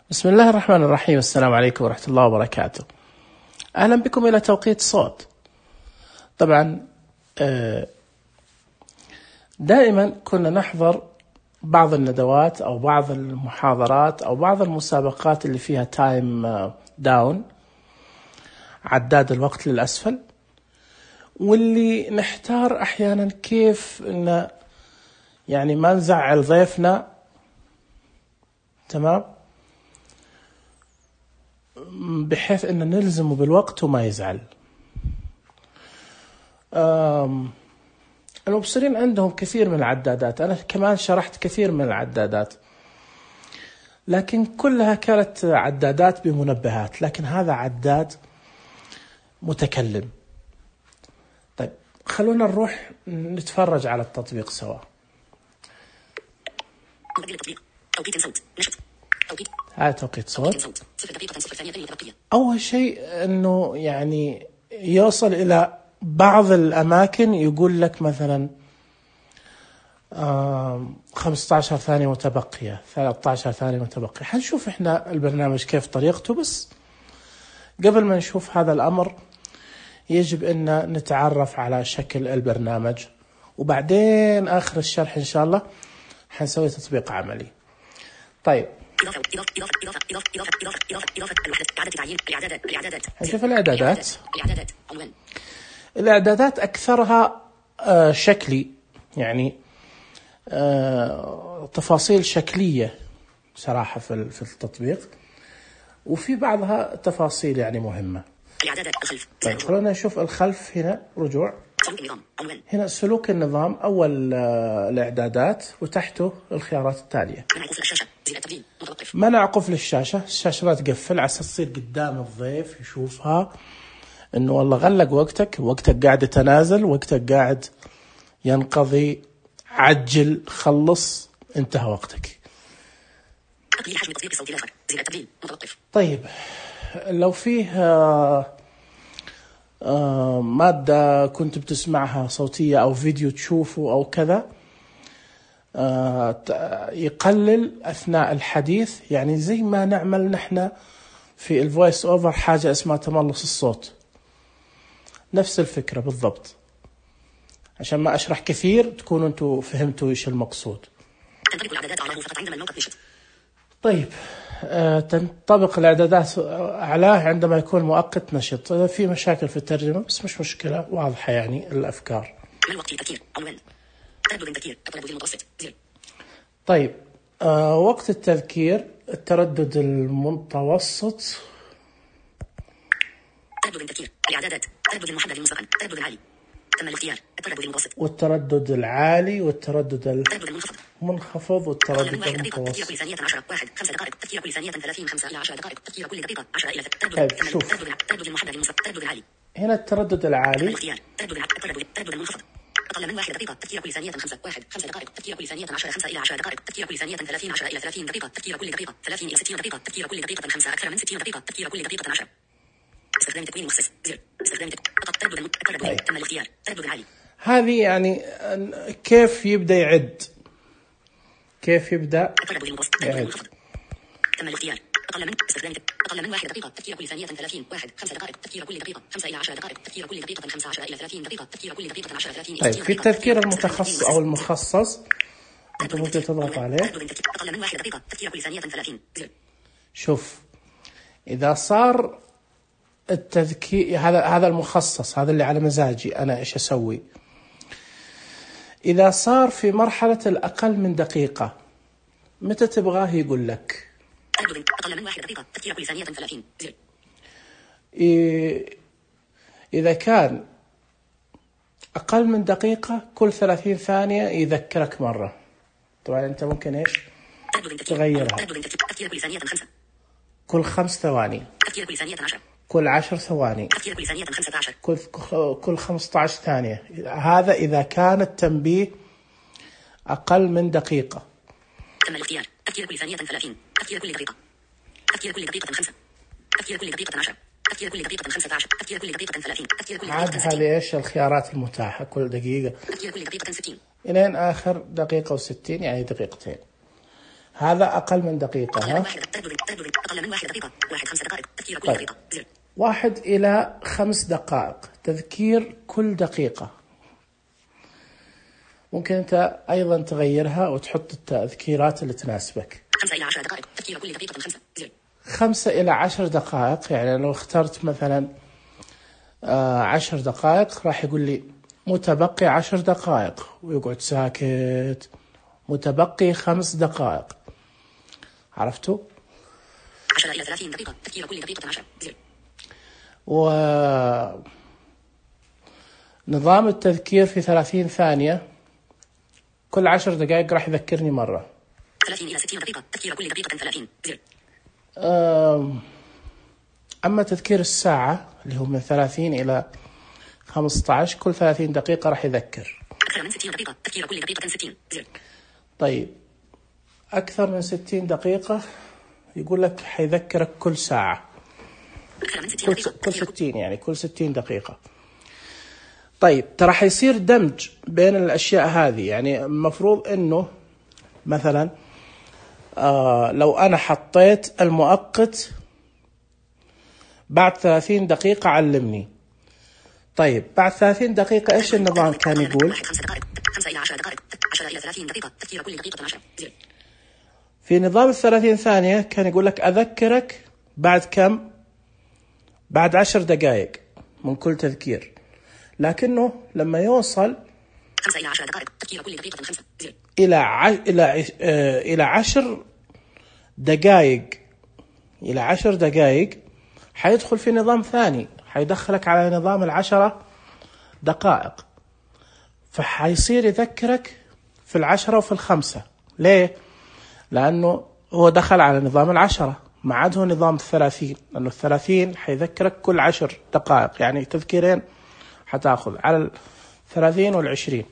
بسم الله الرحمن الرحيم. السلام عليكم ورحمة الله وبركاته. أهلا بكم إلى توقيت صوت. طبعا دائما كنا نحضر بعض الندوات أو بعض المحاضرات أو بعض المسابقات اللي فيها تايم داون، عداد الوقت للأسفل، واللي نحتار أحيانا كيف إن يعني ما نزعل ضيفنا، تمام، بحيث إن نلزمه بالوقت وما يزعل. المبصرين عندهم كثير من العدادات، أنا كمان شرحت كثير من العدادات، لكن كلها كانت عدادات بمنبهات، لكن هذا عداد متكلم. طيب خلونا نروح نتفرج على التطبيق سوا. هذا توقيت صوت. أول شيء أنه يعني يوصل إلى بعض الأماكن يقول لك مثلا 15 ثانية متبقية، 13 ثانية متبقية. حنشوف إحنا البرنامج كيف طريقته، بس قبل ما نشوف هذا الأمر يجب أن نتعرف على شكل البرنامج، وبعدين آخر الشرح إن شاء الله حنسوي تطبيق عملي. طيب هنشوف الإعدادات. الإعدادات أكثرها شكلي، يعني تفاصيل شكلية صراحة في التطبيق، وفي بعضها تفاصيل يعني مهمة. طيب خلونا نشوف الخلف. هنا رجوع، هنا سلوك النظام، أول الإعدادات، وتحته الخيارات التالية. منع قفل الشاشة، الشاشة لا تقفل، على تصير قدام الضيف يشوفها إنه والله غلق وقتك قاعد يتنازل، وقتك قاعد ينقضي، عجل، خلص، انتهى وقتك. طيب لو فيه مادة كنت بتسمعها صوتية أو فيديو تشوفه أو كذا، يقلل أثناء الحديث، يعني زي ما نعمل نحن في الفويس أوفر حاجة اسمها تملص الصوت، نفس الفكرة بالضبط، عشان ما أشرح كثير تكونوا أنتوا فهمتوا إيش المقصود. طيب تنطبق الإعدادات أعلاه عندما يكون مؤقت نشط. في مشاكل في الترجمة بس مش مشكلة، واضحة يعني الأفكار. طيب وقت التذكير، التردد المتوسط، التردد المحدد مسبقا، التردد العالي، تم الاختيار، التردد المتوسط، والتردد العالي، والتردد المنخفض، والتردد المتوسط. كل ثانية 10 1 5 دقائق، تفكير كل ثانية 30 5 إلى 10 دقائق، تفكير كل دقيقة 10 إلى. طيب شوف التردد المحدد مسبقا، التردد العالي، هنا التردد العالي، التردد المنخفض، أقل من 1 دقيقة، تفكير كل ثانية 5 1 5 دقائق، تفكير كل ثانية 10 5 إلى 10 دقائق، تفكير كل ثانية 30 10 إلى 30 دقيقة، تفكير كل دقيقة 30 إلى 60 دقيقة، تفكير كل دقيقة 5 أكثر من 60 دقيقة، تفكير كل دقيقة 10. استخدام تكوين مخصص، زر استخدام التردد تم الاختيار، التردد العالي. هذه يعني كيف يبدأ يعد، كيف يبدأ يعد. تم الاختيار، أقل من 1 دقيقة، تفكير كل ثانية 30 1 5 دقائق، تفكير كل دقيقة 5 إلى 10 دقائق، تفكير كل دقيقة 15 إلى 30 دقيقة، تفكير كل دقيقة 10 30 إلى 60 دقيقة. طيب في التذكير المتخصص أو المخصص أنت ممكن تضغط عليه. أقل من 1 دقيقة، تفكير كل ثانية 30 زر. شوف إذا صار التذكير، هذا المخصص، هذا اللي على مزاجي أنا إيش أسوي. إذا صار في مرحلة الأقل من دقيقة، متى تبغاه يقول لك؟ أقل من 1 دقيقة، تفكير كل ثانية 30 زر. إذا كان أقل من دقيقة، كل 30 ثانية يذكرك مرة. طبعا أنت ممكن إيش تغيرها. تفكير كل ثانية 5، كل 5 ثواني، تفكير كل ثانية 10، كل 10 ثواني، تفكير كل ثانية 15، كل 15 ثانية. هذا إذا كان التنبيه أقل من دقيقة. تم الاختيار، تفكير كل ثانية 30، تفكير كل دقيقة، تفكير كل دقيقة 5، تفكير كل دقيقة 10، تفكير كل دقيقة 15، تفكير كل دقيقة 30، تفكير كل دقيقة 60. هذه إيش الخيارات المتاحة كل دقيقة. تفكير كل دقيقة 60 إلين آخر دقيقة و60، يعني دقيقتين. هذا أقل من دقيقة. ها؟ أقل من 1 دقيقة. 5 دقائق تذكير كل دقيقة. 1 إلى 5 دقائق تذكير كل دقيقة. ممكن أنت أيضا تغيرها وتحط التذكيرات اللي تناسبك. 5 إلى 10 دقائق تذكير كل دقيقة 5. 5 إلى 10 دقائق، يعني لو اخترت مثلا 10 دقائق راح يقول لي متبقي 10 دقائق ويقعد ساكت. متبقي 5 دقائق. عرفتوا؟ 10 إلى 30 دقيقة تذكير كل دقيقة 10. ونظام التذكير في 30 ثانية، كل 10 دقائق راح يذكرني مرة. 30 إلى 60 دقيقة تذكير كل دقيقة 30. أما تذكير الساعة اللي هو من 30 إلى 15 كل 30 دقيقة راح يذكر. أكثر من 60 دقيقة تذكير كل دقيقة 60. طيب أكثر من 60 دقيقة يقول لك حيذكرك كل ساعة. أكثر من 60 دقيقة كل 60 يعني كل 60 دقيقة. طيب ترى حيصير دمج بين الأشياء هذه، يعني المفروض إنه مثلا لو أنا حطيت المؤقت بعد 30 دقيقة علمني. طيب بعد 30 دقيقة إيش النظام كان يقول؟ 5 إلى 10 دقائق 10 إلى 30 دقيقة تذكير كل دقيقة 10. في نظام 30 ثانية كان يقول لك أذكرك بعد كم؟ بعد 10 دقائق من كل تذكير، لكنه لما يوصل 5 إلى 10 دقائق تذكير كل دقيقة 5 إلى 10 دقائق، إلى 10 دقائق حيدخل في نظام ثاني، حيدخلك على نظام 10 دقائق، فحيصير يذكرك في 10 وفي 5. ليه؟ لأنه هو دخل على نظام 10 ما عاد هو نظام 30، لأنه 30 حيذكرك كل 10 دقائق، يعني تذكيرين حتاخذ على 30 وال20،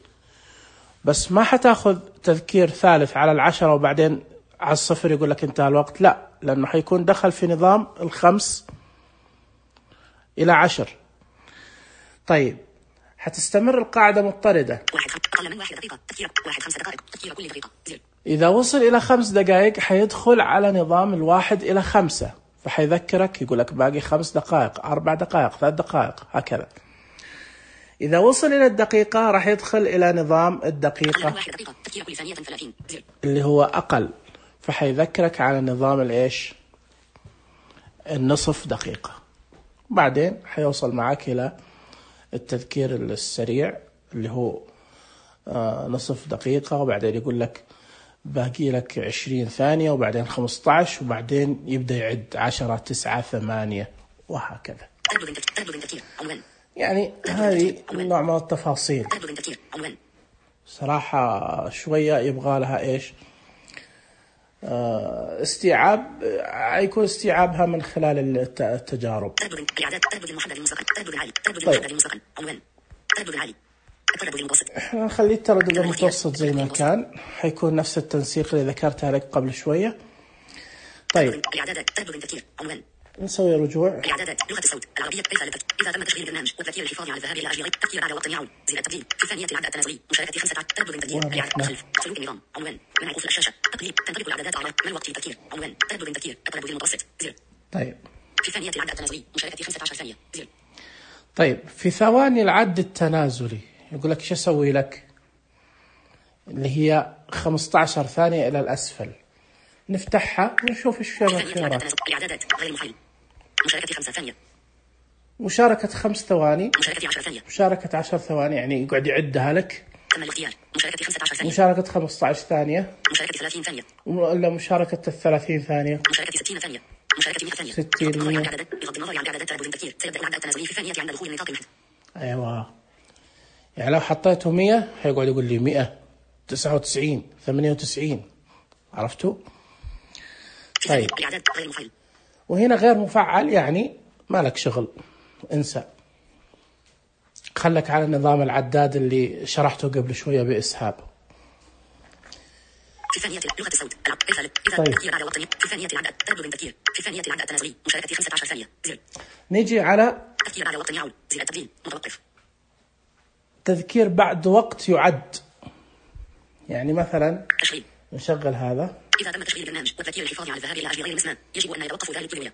بس ما حتاخذ تذكير ثالث على 10 وبعدين على 0 يقول لك انتهى الوقت. لا، لأنه حيكون دخل في نظام 5 إلى 10. طيب حتستمر القاعدة مضطردة. أقل من 1 دقيقة تذكير 5 دقائق تذكير كل دقيقة. إذا وصل إلى 5 دقائق حيدخل على نظام 1 إلى 5، فحيذكرك يقول لك باقي 5 دقائق 4 دقائق 3 دقائق هكذا. إذا وصل إلى الدقيقة راح يدخل إلى نظام الدقيقة اللي هو أقل، فحيذكرك على نظام الإيش؟ النصف دقيقة. بعدين حيوصل معك إلى التذكير السريع اللي هو نصف دقيقة، وبعدين يقول لك باقي لك 20 ثانية، وبعدين 15، وبعدين يبدأ يعد 10 9 8 وهكذا. يعني هذه نوع من التفاصيل صراحة شوية يبغى لها إيش استيعاب، يكون استيعابها من خلال التجارب. احنا نخلي التردد المتوسط زي ما كان، حيكون نفس التنسيق اللي ذكرتها لك قبل شوية. طيب نسوي رجوع. إعدادات لغة الصوت العربية كيف إذا تم تشغيل البرنامج والتذكير الحفاظ على الذهاب إلى أجل تذكير بعد وقت يعود زر التبديل في ثانية العدد التنازلي مشاركة 5 تردد تذكير خلف سلوك النظام عنوان منع قفل الشاشة تقليل تنطبق الإعدادات على من وقت التذكير عنوان تردد تذكير التردد المتوسط زر. طيب في ثانية العدد التنازلي مشاركة 15 ثانية زر. طيب في ثواني العد التنازلي يقول لك ايش اسوي لك؟ اللي هي 15 ثانية إلى الأسفل، نفتحها ونشوف ايش فيها الخيارات. إعدادات غير مفعل مشاركة 5 ثانية، مشاركة 5 ثواني، مشاركة 10 ثانية، مشاركة 10 ثواني، يعني يقعد يعدها لك. تم الاختيار مشاركة 15 ثانية، مشاركة 15 ثانية، مشاركة 30 ثانية، ولا مشاركة 30 ثانية، مشاركة 60 ثانية، مشاركة 100 ثانية. 60 بغض النظر عن إعدادات تردد التذكير سيبدأ العدد التنازلي في ثانية عند دخول نطاق المحد. أيوة، يعني لو حطيته 100 هيقعد يقول لي 100 99 98. عرفتوا؟ طيب وهنا غير مفعل، يعني ما لك شغل، انسى، خلك على نظام العداد اللي شرحته قبل شوية بإسهاب. في ثانية لغة الصوت إذا تذكير بعد وقت في ثانية العدد تردد تذكير في ثانية العدد التنازلي مشاركة 15 ثانية زر. نيجي على تذكير بعد وقت يعود زر التبديل متوقف. تذكير بعد وقت يعد، يعني مثلا تشغيل نشغل هذا إذا تم تشغيل البرنامج والتذكير الحفاظي على الذهاب إلى أجل غير المسمى يجب أن يتوقف ذلك كل ولاية.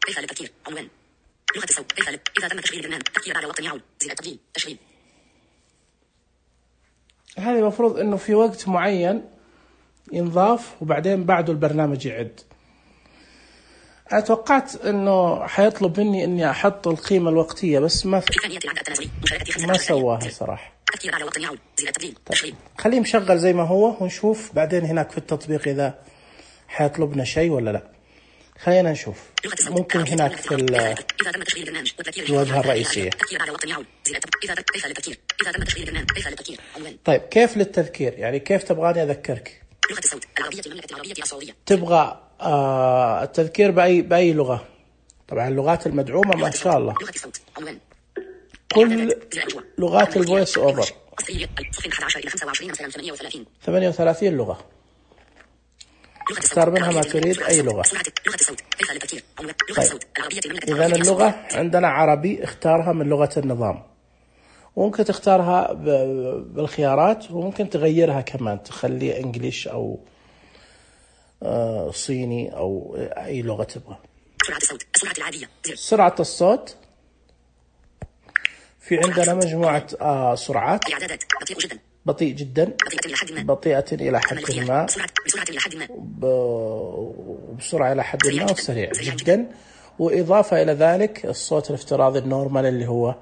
كيف للتذكير عنوان لغة الصوت كيف إذا تم تشغيل البرنامج تذكير بعد وقت يعود زر التسجيل تشغيل. هذه المفروض إنه في وقت معين ينضاف وبعدين بعده البرنامج يعد. أنا توقعت إنه حيطلب مني إني أحط القيمة الوقتية بس ما سواها صراحة. طيب. خليه مشغل زي ما هو ونشوف بعدين هناك في التطبيق إذا حيطلبنا شيء ولا لا. خلينا نشوف. ممكن هناك في الواجهة الرئيسية. طيب كيف للتذكير؟ يعني كيف تبغاني أذكرك؟ لغة الصوت العربية المملكة العربية السعودية. تبغى التذكير بأي لغة؟ طبعا اللغات المدعومة ما شاء الله. لغة الصوت عنوان كل لغات الفويس أوفر 38 لغة. اختار منها ما تريد أي لغة. طيب. إذا اللغة عندنا عربي اختارها من لغة النظام، وممكن تختارها بالخيارات وممكن تغيرها كمان تخلي إنجليش أو صيني أو أي لغة تبغى. سرعة الصوت السرعة العادية. سرعة الصوت في عندنا مجموعة سرعات. بطيء جدا بطيئة إلى حد ما وبسرعة إلى حد ما وسريع جدا، وإضافة إلى ذلك الصوت الافتراضي النورمال اللي هو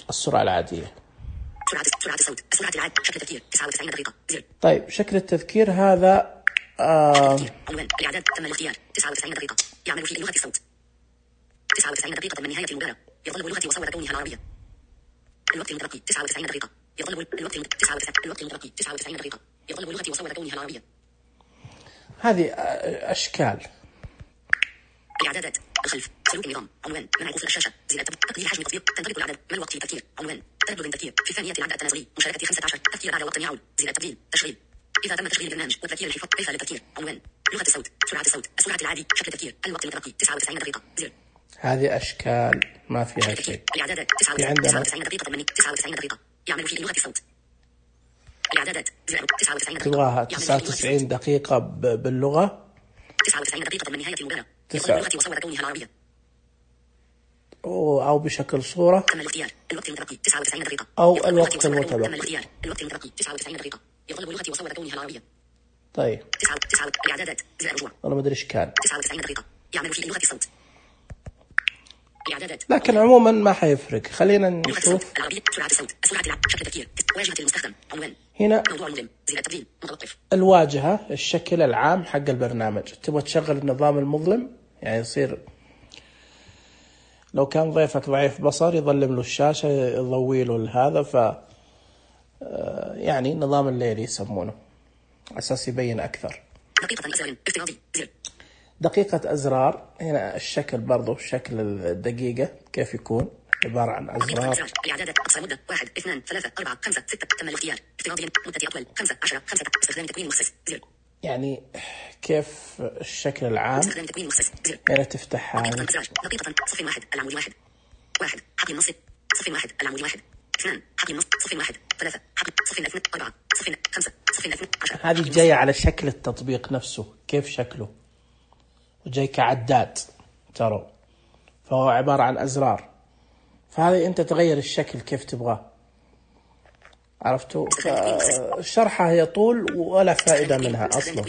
السرعة العادية. سرعة الصوت السرعة العادية. شكل التذكير 99 دقيقة. طيب شكل التذكير هذا عنوان الإعداد تم الاختيار 99 دقيقة. يعمل في لغة الصوت 99 دقيقة من نهاية المباراة. يظل لغتي وصور كونها العربية. الوقت المتبقي 99 دقيقة. يظل الوقت المتبقي 99 دقيقة. يظل لغتي وصور كونها العربية. هذه أشكال. الإعدادات الخلف سلوك النظام عنوان منع قفل الشاشة زر تقليل حجم التطبيق تنطبق العدد ما الوقت للتذكير عنوان تردد التذكير في ثانية العدد التنازلي مشاركة 15 تذكير بعد وقت يعود زر التبديل تشغيل. إذا تم تشغيل البرنامج والتذكير الحفاظ كيف للتذكير عنوان لغة الصوت سرعة الصوت السرعة العادي شكل التذكير الوقت المتبقي 99 دقيقة زر. هذه أشكال ما فيها شيء. الإعدادات 99 دقيقة 99 دقيقة يعمل في لغة الصوت. الإعدادات 99 دقيقة. تبغاها 99 دقيقة باللغة 99 دقيقة من نهاية المباراة. يظل لغتي وصور كونها العربية. أو بشكل صورة. تم الاختيار الوقت المتبقي 99 دقيقة. أو الوقت المتبقي. تم الاختيار الوقت المتبقي 99 دقيقة. يظل لغتي وصور كونها العربية. طيب. 9 الإعدادات زر الرجوع. والله ما أدري إيش كان. 99 دقيقة يعمل في لغة الصوت. الإعدادات. لكن عموما ما حيفرق. خلينا نشوف. العربية سرعة الصوت السرعة شكل التذكير واجهة المستخدم عنوان هنا موضوع المودم زر التبديل متوقف. الواجهة الشكل العام حق البرنامج. تبغى تشغل النظام المظلم يعني يصير لو كان ضيفك ضعيف بصر يظلم له الشاشة يضوي له هذا يعني نظام الليل يسمونه أساس يبين أكثر. دقيقة أزرار افتراضي زر. دقيقة أزرار هنا الشكل برضو شكل الدقيقة كيف يكون عبارة عن أزرار. الإعدادات أقصى مدة 1 2 3 4 5 6 تم الاختيار افتراضيا مدة أطول 5 10 5 استخدام تكوين مخصص زر. يعني كيف الشكل العام يعني تفتح هذه دقيقة صف 1 العمود 1 حقل نص صف 1 العمود 1 2 حقل نص صف 1 3 حقل صف 2 4 صف 5 صف 2 10. هذه جاية على شكل التطبيق نفسه كيف شكله وجاي كعداد ترى فهو عبارة عن أزرار فهذه أنت تغير الشكل كيف تبغاه عرفتوا. الشرحة هي طول ولا فائدة منها أصلا.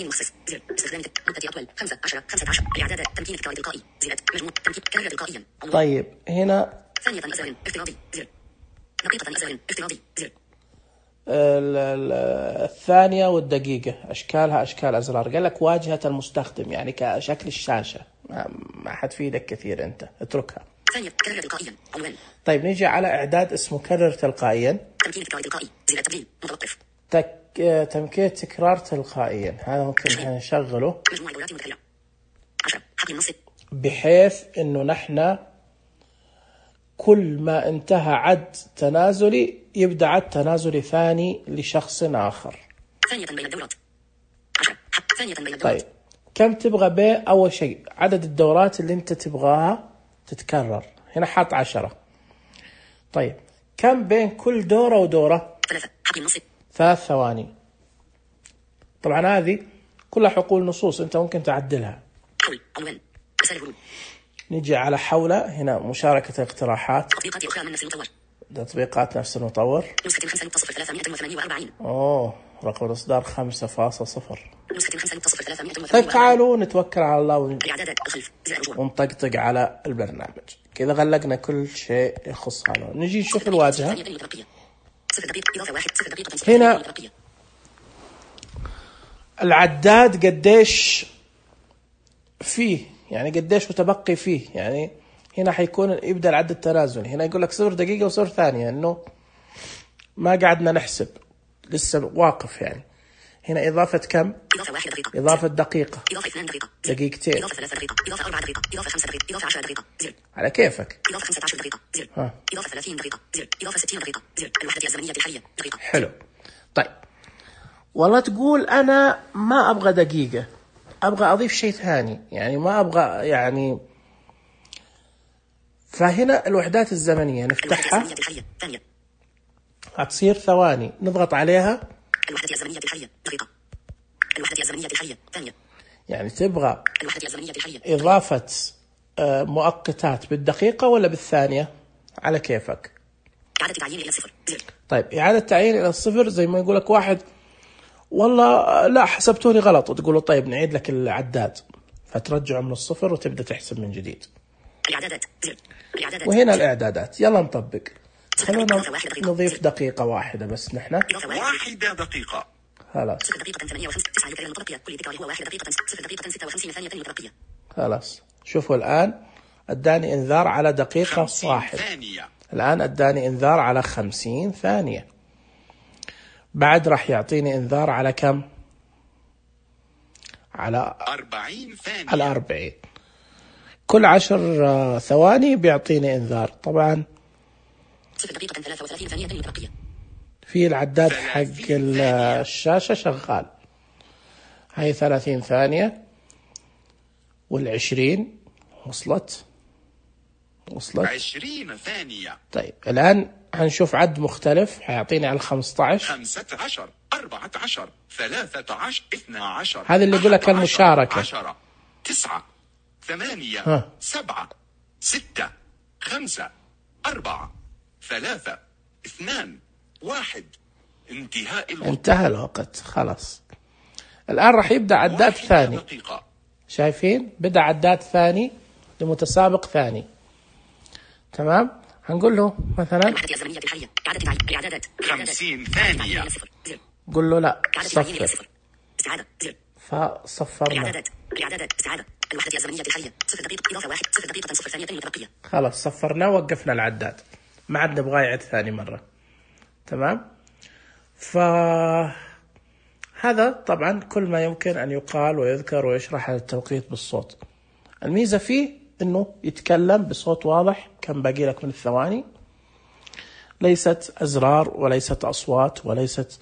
طيب هنا الثانية والدقيقة أشكالها أشكال أزرار. قال لك واجهة المستخدم يعني كشكل الشاشة ما حتفيدك كثير أنت اتركها. طيب نيجي على إعداد اسمه كرر تلقائيا. تمكين تكرار تلقائيا هذا ممكن نشغله بحيث إنه نحن كل ما انتهى عد تنازلي يبدأ عد تنازلي ثاني لشخص آخر. طيب كم تبغى أول شيء عدد الدورات اللي أنت تبغاها تتكرر هنا حاط 10. طيب كم بين كل دورة ودورة 3 3 ثواني. طبعا هذه كلها حقول نصوص أنت ممكن تعدلها. حول عنوان رسالة ورود. نيجي على حولة هنا مشاركة اقتراحات. تطبيقات أخرى من نفس المطور. تطبيقات نفس المطور. نسخة 5.348. رقم الإصدار 5.0. نسخة 5.348. طيب تعالوا نتوكل على الله الإعدادات الخلف ونطقطق على البرنامج. كذا غلقنا كل شيء يخص هذا. نجي نشوف الواجهة. هنا العداد قديش فيه، يعني قديش متبقي فيه. يعني هنا حيكون يبدأ العد التنازلي. هنا يقول لك 0 دقيقة و0 ثانية، إنه ما قعدنا نحسب، لسه واقف. يعني هنا إضافة كم؟ إضافة دقيقة، إضافة 2 دقيقة، دقيقتين، إضافة 3 دقيقة، إضافة 4 دقيقة، إضافة 5 دقيقة، إضافة 10 دقيقة، زر. على كيفك. إضافة 15 دقيقة، زر. إضافة 30 دقيقة، زر. إضافة 60 دقيقة، زر. الوحدة الزمنية الحالية دقيقة. حلو. طيب والله تقول أنا ما أبغى دقيقة، أبغى أضيف شيء ثاني، يعني ما أبغى يعني. فهنا الوحدات الزمنية نفتحها، هتصير ثواني، نضغط عليها. الوحدة الزمنية الحالية دقيقة. الوحدة الزمنية الحالية ثانية. يعني تبغى الوحدة الزمنية الحالية إضافة مؤقتات بالدقيقة ولا بالثانية؟ على كيفك. إعادة تعيين إلى 0. طيب إعادة تعيين إلى 0، زي ما يقولك واحد والله لا حسبتوني غلط، وتقولوا طيب نعيد لك العداد، فترجعه من 0 وتبدأ تحسب من جديد. الإعدادات، زر. الإعدادات. وهنا الإعدادات. يلا نطبق. خلونا نضيف دقيقة واحدة بس نحن. 1 دقيقة. خلاص. 0 دقيقة 58 9 المتبقية. كل ذكر هو 1 دقيقة 0 دقيقة 56 ثانية المتبقية. خلاص. شوفوا الآن أداني إنذار على دقيقة 1. الآن أداني إنذار على 50 ثانية. بعد راح يعطيني إنذار على كم؟ على 40 ثانية. على 40. كل 10 ثواني بيعطيني إنذار. طبعا 0 دقيقة 33 ثانية المتبقية. في العداد حق الشاشة شغال. هاي 30 ثانية وال20 وصلت 20 ثانية. طيب الآن هنشوف عد مختلف، حيعطيني على 15 15 14 13 12. هذا اللي يقول لك المشاركة. 10 9 8 7 6 5 4 3 2 1. انتهى الوقت. خلاص. الآن راح يبدأ عداد ثاني. شايفين بدأ عداد ثاني لمتسابق ثاني. تمام. هنقول له مثلا 50 ثانية. قول له لا صفر. فصفرنا. الوحدة الزمنية الحالية 0 دقيقة إضافة 1 0 دقيقة 0 ثانية متبقية. خلاص صفرنا ووقفنا العداد، ما عاد نبغى يعد ثاني مرة. تمام. فهذا طبعا كل ما يمكن أن يقال ويذكر ويشرح هذا التوقيت بالصوت. الميزة فيه إنه يتكلم بصوت واضح. كم باقي لك من الثواني؟ ليست أزرار وليست أصوات وليست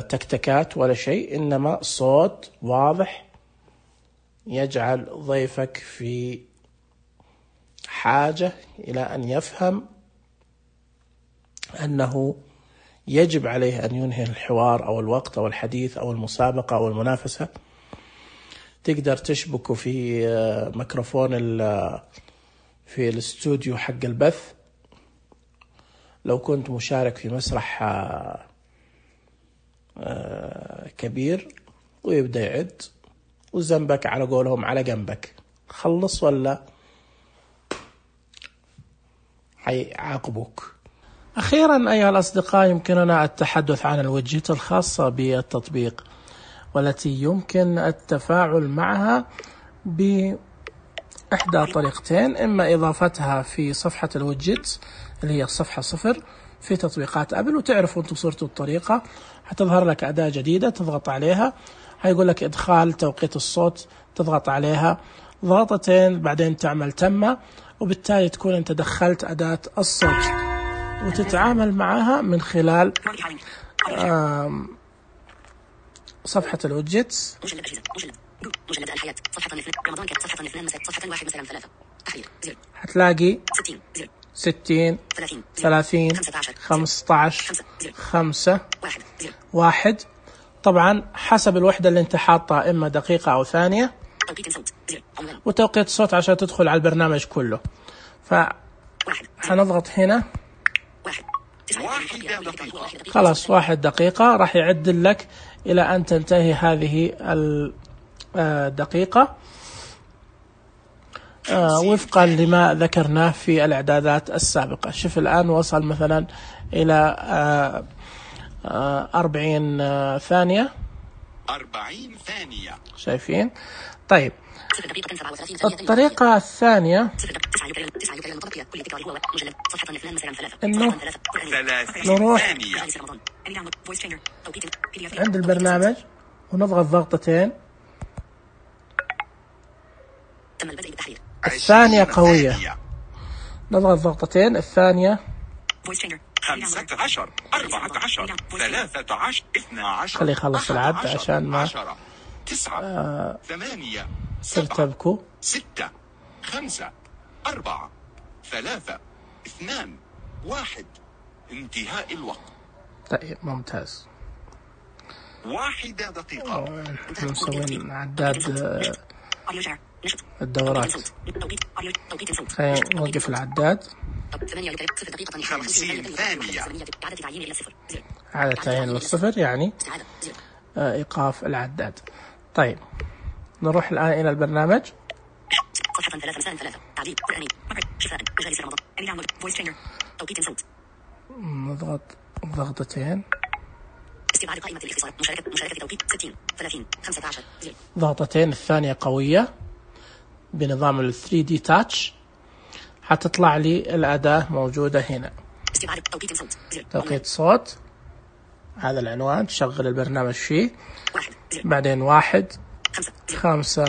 تكتكات ولا شيء، إنما صوت واضح يجعل ضيفك في حاجة إلى أن يفهم أنه يجب عليه أن ينهي الحوار أو الوقت أو الحديث أو المسابقة أو المنافسة. تقدر تشبكه في ميكروفون في الاستوديو حق البث لو كنت مشارك في مسرح كبير، ويبدأ يعد وزنبك على قولهم على جنبك. خلص ولا حيعاقبوك. أخيرا أيها الأصدقاء، يمكننا التحدث عن الوجهات الخاصة بالتطبيق والتي يمكن التفاعل معها بإحدى طريقتين: إما إضافتها في صفحة الوجهات اللي هي صفحة 0 في تطبيقات أبل، وتعرفوا أنتم صرتوا الطريقة. هتظهر لك أداة جديدة تضغط عليها، هيقول لك إدخال توقيت الصوت، تضغط عليها ضغطتين بعدين تعمل تم، وبالتالي تكون أنت دخلت أداة الصوت وتتعامل معها من خلال صفحة الوجهتس. مجلد الحياة صفحة رمضان صفحة 2 صفحة 1 مثلا 3 تحرير زر. هتلاقي 60 30 15 5 1 طبعا حسب الوحدة اللي انت حاطها، اما دقيقة او ثانية. وتوقيت الصوت عشان تدخل على البرنامج كله. فحنضغط هنا خلاص 1 دقيقة، راح يعدل لك الى ان تنتهي هذه الدقيقة وفقا لما ذكرناه في الاعدادات السابقة. شوف الان وصل مثلا الى 40 ثانية. 40 ثانية شايفين؟ طيب الطريقة الثانية انه نروح عند البرنامج ونضغط ضغطتين. الثانية قوية، نضغط ضغطتين. الثانية 15 14 13 12. خلي يخلص العد عشان ما 9 8 ترتبكوا. 6 5 4 3 2 1. انتهاء الوقت. طيب ممتاز. 1 دقيقة. نسوي عداد الدورات. خلينا نوقف العداد. 50 ثانية. إعادة تعيين للصفر يعني إيقاف العداد. طيب نروح الآن إلى البرنامج. صفحة 3 تعديل قرآني شفاء مجالس رمضان. فويس ترينر. توقيت صوت. نضغط ضغطتين. استبعاد قائمة الاختصار. مشاركة توقيت 60 30 15. ضغطتين. الثانية قوية بنظام ال 3D Touch. حتطلع لي الأداة موجودة هنا. استبعاد توقيت صوت. توقيت صوت. هذا العنوان تشغل البرنامج فيه. بعدين 1 5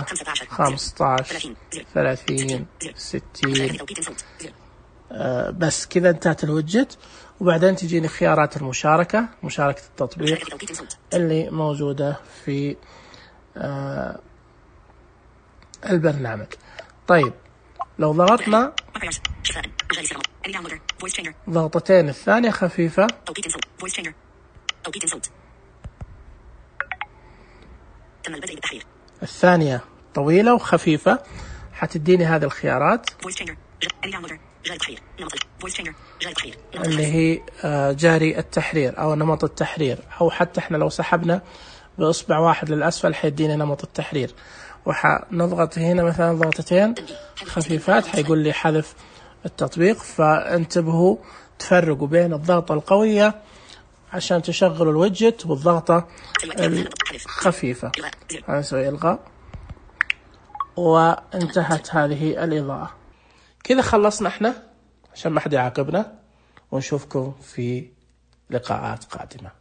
15 30 60. بس كذا انتهت الوجت. وبعدين تجيني خيارات المشاركة، مشاركة التطبيق اللي موجودة في البرنامج. طيب لو ضغطنا ضغطتين، الثانية خفيفة، الثانية طويلة وخفيفة، حتديني هذه الخيارات اللي هي جاري التحرير أو نمط التحرير، أو حتى احنا لو سحبنا بإصبع واحد للأسفل حيديني نمط التحرير. وحنضغط هنا مثلا ضغطتين خفيفات حيقول لي حذف التطبيق. فانتبهوا تفرقوا بين الضغطة القوية عشان تشغلوا الويدجت والضغطة الخفيفة. هنسوي إلغاء وانتهت هذه الإضاءة. كذا خلصنا احنا عشان ما حد يعاقبنا، ونشوفكم في لقاءات قادمة.